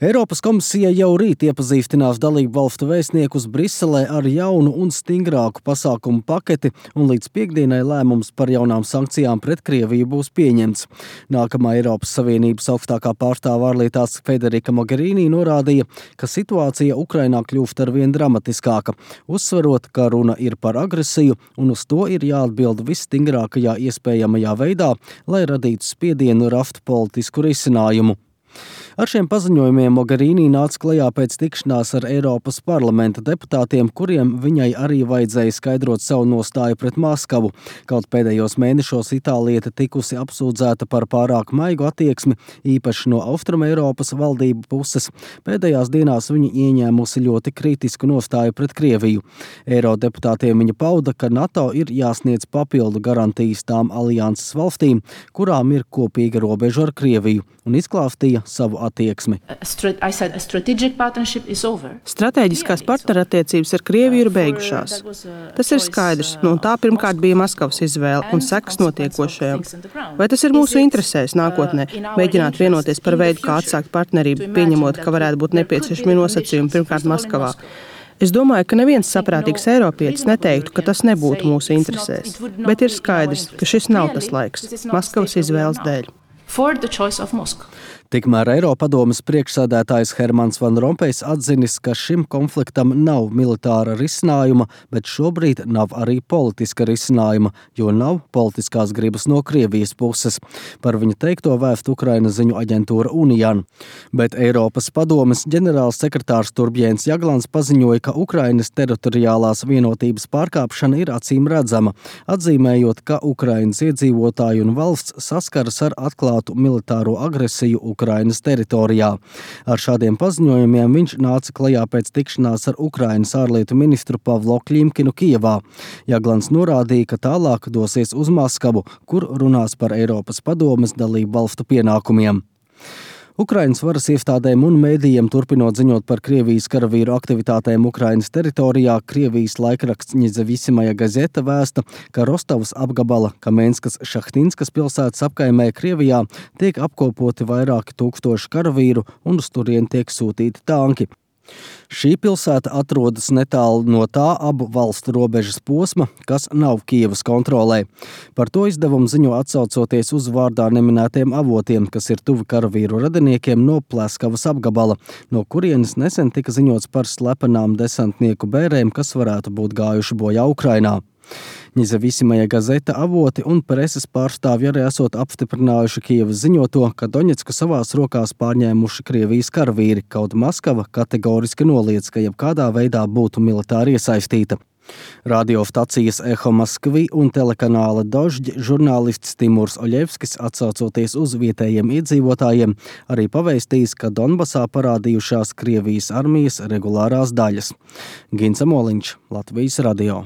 Eiropas komisija jau rīt iepazīstinās dalību valstu vēstniekus Briselē ar jaunu un stingrāku pasākumu paketi, un līdz piektdienai lēmums par jaunām sankcijām pret Krieviju būs pieņemts. Nākamā Eiropas Savienības augstākā pārstāve ārlietās Federika Mogherini norādīja, ka situācija Ukrainā kļūst arvien dramatiskāka, uzsverot, ka runa ir par agresiju, un uz to ir jāatbild visstingrākajā iespējamajā veidā, lai radītu spiedienu rast politisku risinājumu. Ar šiem paziņojumiem Mogherini nāca klajā pēc tikšanās ar Eiropas parlamenta deputātiem, kuriem viņai arī vajadzēja skaidrot savu nostāju pret Maskavu. Kaut pēdējos mēnešos Itāliete tikusi apsūdzēta par pārāk maigu attieksmi, īpaši no Austrumeiropas valdību puses. Pēdējās dienās viņa ieņēmusi ļoti kritisku nostāju pret Krieviju. Eirodeputātiem viņa pauda, ka NATO ir jāsniedz papildu garantijas tām alianses valstīm, kurām ir kopīga robeža ar Krieviju, un izklāstīja savu attieksmi. Stratēģiskās partnerattiecības ar Krieviju ir beigušās. Tas ir skaidrs, un tā pirmkārt bija Maskavas izvēle un sekas notiekošajam. Vai tas ir mūsu interesēs nākotnē mēģināt vienoties par veidu, kā atsākt partnerību, pieņemot, ka varētu būt nepieciešami nosacījumi pirmkārt Maskavā? Es domāju, ka neviens saprātīgs eiropietis neteiktu, ka tas nebūtu mūsu interesēs, bet ir skaidrs, ka šis nav tas laiks Maskavas izvēles dēļ. Tikmēr Eiropadomes priekšsēdētājs Hermans Van Rompējs atzinis, ka šim konfliktam nav militāra risinājuma, bet šobrīd nav arī politiska risinājuma, jo nav politiskās gribas no Krievijas puses. Par viņa teikto vēst Ukrainas ziņu aģentūra Unijan. Bet Eiropas padomes ģenerāls sekretārs Turbjēns Jaglans paziņoja, ka Ukrainas teritoriālās vienotības pārkāpšana ir acīm redzama, atzīmējot, ka Ukrainas iedzīvotāji un valsts saskaras ar atklātu militāro agresiju Ukrainas teritorijā. Ar šādiem paziņojumiem viņš nāca klajā pēc tikšanās ar Ukrainas ārlietu ministru Pavlo Kļimkinu Kijevā. Jaglans norādīja, ka tālāk dosies uz Maskavu, kur runās par Eiropas padomes dalību valstu pienākumiem. Ukrainas varas iestādēm un mēdījiem turpinot ziņot par Krievijas karavīru aktivitātēm Ukrainas teritorijā, Krievijas laikraksts Nezavisimoja Gazeta vēsta, ka Rostovas apgabala Kamenskas Šahtinskas pilsētas apkaimē Krievijā tiek apkopoti vairāki tūkstoši karavīru un uz turien tiek sūtīti tanki. Šī pilsēta atrodas netālu no tā abu valstu robežas posma, kas nav Kijevas kontrolē. Par to izdevumu ziņo atsaucoties uz vārdā neminētiem avotiem, kas ir tuvi karavīru radiniekiem no Pleskavas apgabala, no kurienes nesen tika ziņots par slepenām desantnieku bērēm, kas varētu būt gājuši bojā Ukrainā. Nezavisimoja Gazeta avoti un preses pārstāvji arī esot apstiprinājuši Kijevas ziņoto, ka Doņetsku savās rokās pārņēmuši Krievijas karavīri, kaut Maskava kategoriski noliedz, ka jebkādā veidā būtu militāri iesaistīta. Radiostacijas Eho Maskvi un telekanāla Dožģi žurnālists Timurs Oļevskis, atsaucoties uz vietējiem iedzīvotājiem, arī pavēstījis, ka Donbasā parādījušās Krievijas armijas regulārās daļas. Gins Amoliņš, Latvijas radio.